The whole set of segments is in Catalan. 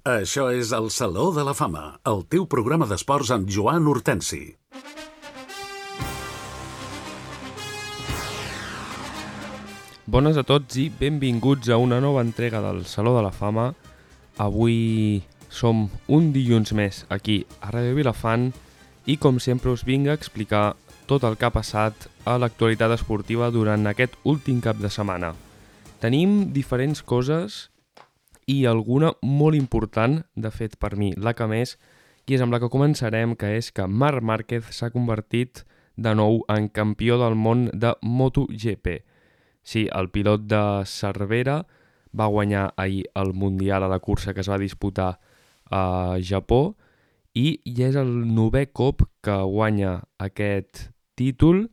Això és el Saló de la Fama, el teu programa d'esports amb Joan Hortensi. Bones a tots i benvinguts a una nova entrega del Saló de la Fama. Avui som un dilluns més aquí a Ràdio Vilafant i com sempre us vinc a explicar tot el que ha passat a l'actualitat esportiva durant aquest últim cap de setmana. Tenim diferents coses i alguna molt important, de fet per mi la que més, i és amb la que començarem, que és que Marc Márquez s'ha convertit de nou en campió del món de MotoGP. Sí, el pilot de Cervera va guanyar ahir el Mundial a la cursa que es va disputar a Japó i és el 9è cop que guanya aquest títol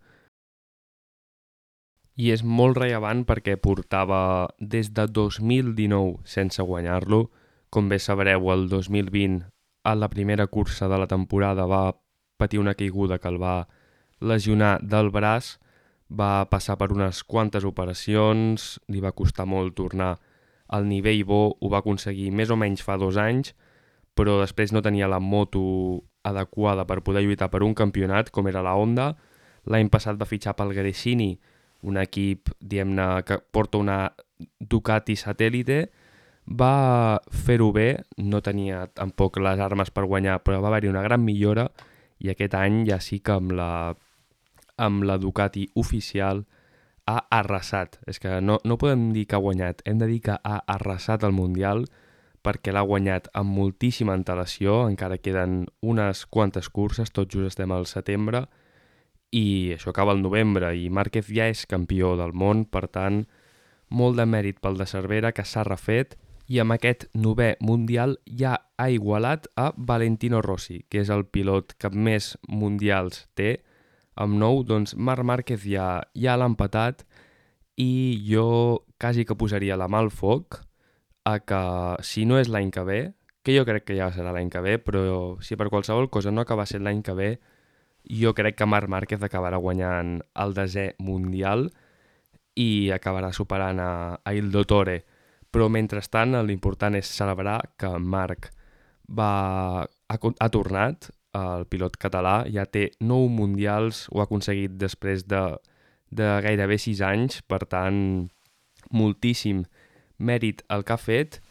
i és molt rellevant perquè portava des de 2019 sense guanyar-lo. Com bé sabreu, el 2020, a la primera cursa de la temporada, va patir una caiguda que el va lesionar del braç, va passar per unes quantes operacions, li va costar molt tornar al nivell bo, ho va aconseguir més o menys fa 2 anys, però després no tenia la moto adequada per poder lluitar per un campionat, com era la Honda. L'any passat va fitxar pel Gresini, un equip, diguem-ne, que porta una Ducati satèl·lite, va fer-ho bé, no tenia tampoc les armes per guanyar, però va haver-hi una gran millora i aquest any ja sí que amb la Ducati oficial ha arrasat. És que no podem dir que ha guanyat, hem de dir que ha arrasat el Mundial perquè l'ha guanyat amb moltíssima antelació, encara queden unes quantes curses, tot just estem al setembre, i això acaba el novembre i Márquez ja és campió del món, per tant, molt de mèrit pel de Cervera, que s'ha refet, i amb aquest 9è Mundial ja ha igualat a Valentino Rossi, que és el pilot que més mundials té. Amb 9, doncs Marc Márquez ja l'ha empatat i jo quasi que posaria la mà al foc a que, si no és l'any que ve, que jo crec que ja serà l'any que ve, però si per qualsevol cosa no acaba sent l'any que ve, jo crec que Marc Márquez acabarà guanyant el 10è Mundial i acabarà superant a Il Dottore. Però mentrestant l'important és celebrar que Marc ha tornat, el pilot català, ja té 9 mundials, ho ha aconseguit després de gairebé 6 anys, per tant, moltíssim mèrit el que ha fet.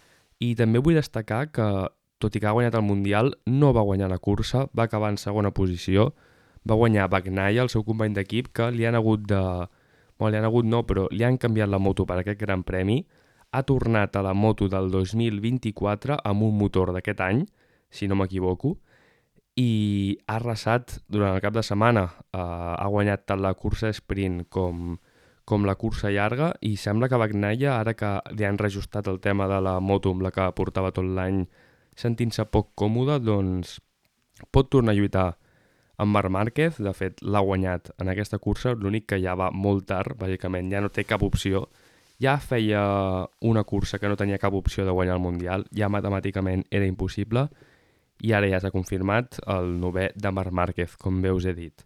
I també vull destacar que, tot i que ha guanyat el Mundial, no va guanyar la cursa, va acabar en segona posició, va guanyar Bagnaia, el seu company d'equip, que li han hagut de... Bueno, li han hagut no, però li han canviat la moto per aquest gran premi. Ha tornat a la moto del 2024 amb un motor d'aquest any, si no m'equivoco, i ha arrasat durant el cap de setmana. Ha guanyat tant la cursa sprint com la cursa llarga i sembla que Bagnaia, ara que li han reajustat el tema de la moto amb la que portava tot l'any sentint-se poc còmode, doncs pot tornar a lluitar amb Marc Márquez. De fet, l'ha guanyat en aquesta cursa, l'únic que ja va molt tard, bàsicament, ja no té cap opció. Ja feia una cursa que no tenia cap opció de guanyar el Mundial, ja matemàticament era impossible, i ara ja s'ha confirmat el 9è de Marc Márquez, com bé us he dit.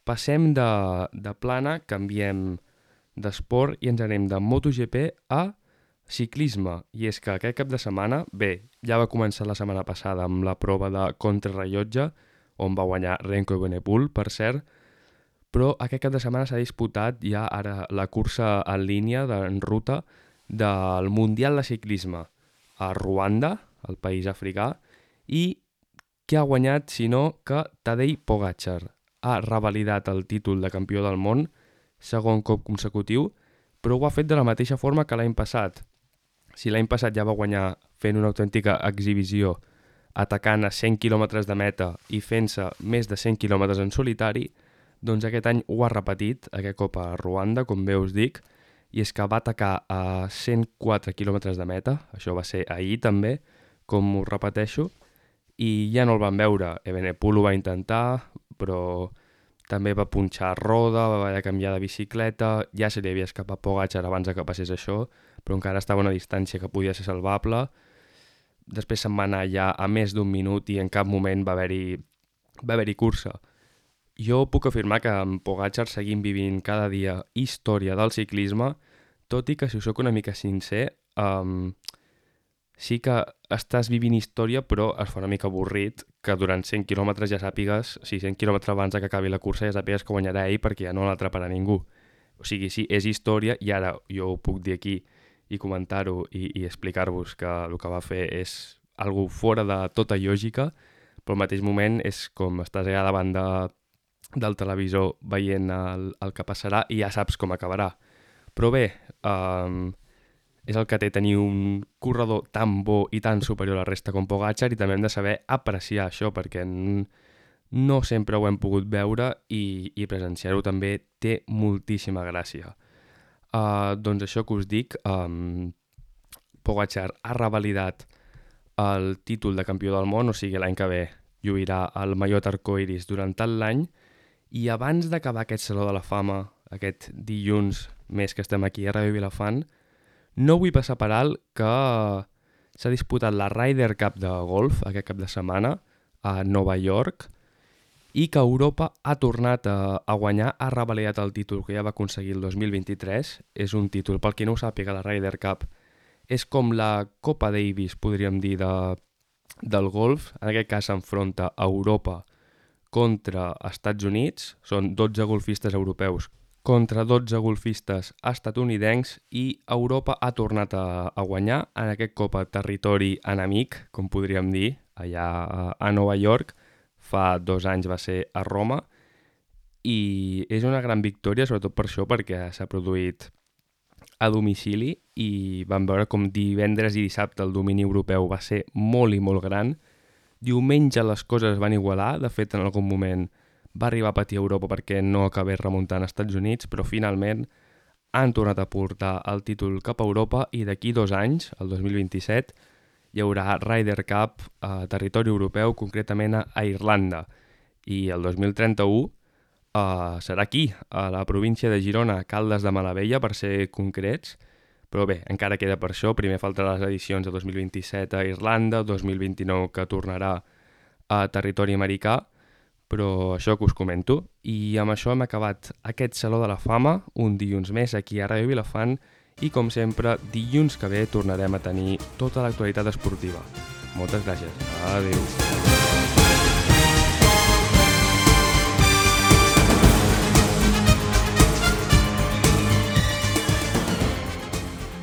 Passem de plana, canviem d'esport i ens anem de MotoGP a ciclisme. I és que aquest cap de setmana, bé, ja va començar la setmana passada amb la prova de contrarrellotge, on va guanyar Remco Evenepoel, per cert, però aquest cap de setmana s'ha disputat ja ara la cursa en línia, en ruta, del Mundial de Ciclisme a Ruanda, el país africà, i qui ha guanyat, si no, que Tadej Pogačar ha revalidat el títol de campió del món, segon cop consecutiu, però ho ha fet de la mateixa forma que l'any passat. Si l'any passat ja va guanyar fent una autèntica exhibició, atacant a 100 quilòmetres de meta i fent-se més de 100 quilòmetres en solitari, doncs aquest any ho ha repetit, aquest cop a Ruanda, com bé us dic, i és que va atacar a 104 quilòmetres de meta, això va ser ahir també, com us repeteixo, i ja no el van veure. Evenepoel ho va intentar, però també va punxar roda, va haver de canviar de bicicleta, ja se li havia escapat Pogačar abans que passés això, però encara estava a una distància que podia ser salvable. Després se'n va anar ja a més d'1 minut i en cap moment va haver-hi cursa. Jo puc afirmar que amb Pogačar seguim vivint cada dia història del ciclisme, tot i que, si us soc una mica sincer, sí que estàs vivint història, però es fa una mica avorrit que durant 100 quilòmetres ja sàpigues, 100 quilòmetres abans que acabi la cursa ja sàpigues que guanyarà ell perquè ja no l'atraparà ningú. O sigui, sí, és història i ara jo ho puc dir aquí i comentar-ho i explicar-vos que el que va fer és algo fora de tota lògica, però al mateix moment és com estàs allà davant del televisor veient el que passarà i ja saps com acabarà. Però bé, és el que té tenir un corredor tan bo i tan superior a la resta com Pogačar, i també hem de saber apreciar això perquè no sempre ho hem pogut veure i presenciar-ho també té moltíssima gràcia. Doncs això que us dic, Pogačar ha revalidat el títol de campió del món, o sigui l'any que ve lluirà el mallot arcoiris durant tot l'any, i abans d'acabar aquest Saló de la Fama, aquest dilluns més que estem aquí a Ràdio Vilafant, no vull passar per alt que s'ha disputat la Ryder Cup de golf aquest cap de setmana a Nova York i que Europa ha tornat a guanyar, ha revalidat el títol que ja va aconseguir el 2023. És un títol, pel qui no ho sàpiga, la Ryder Cup és com la Copa Davis, podríem dir, del golf. En aquest cas s'enfronta a Europa contra Estats Units, són 12 golfistes europeus contra 12 golfistes estatunidencs i Europa ha tornat a guanyar en aquest cop a territori enemic, com podríem dir, allà a Nova York. Fa 2 anys va ser a Roma i és una gran victòria, sobretot per això, perquè s'ha produït a domicili i vam veure com divendres i dissabte el domini europeu va ser molt i molt gran. Diumenge les coses van igualar, de fet en algun moment va arribar a patir Europa perquè no acabés remuntant als Estats Units, però finalment han tornat a portar el títol cap a Europa i d'aquí 2 anys, el 2027, hi haurà Ryder Cup a territori europeu, concretament a Irlanda. I el 2031 serà aquí, a la província de Girona, a Caldes de Malavella, per ser concrets. Però bé, encara queda per això. Primer faltarà les edicions de 2027 a Irlanda, 2029 que tornarà a territori americà, però això que us comento. I amb això hem acabat aquest Saló de la Fama, un dilluns més aquí a Ràdio Vilafant, i com sempre, dilluns que ve tornarem a tenir tota l'actualitat esportiva. Moltes gràcies. Adéu.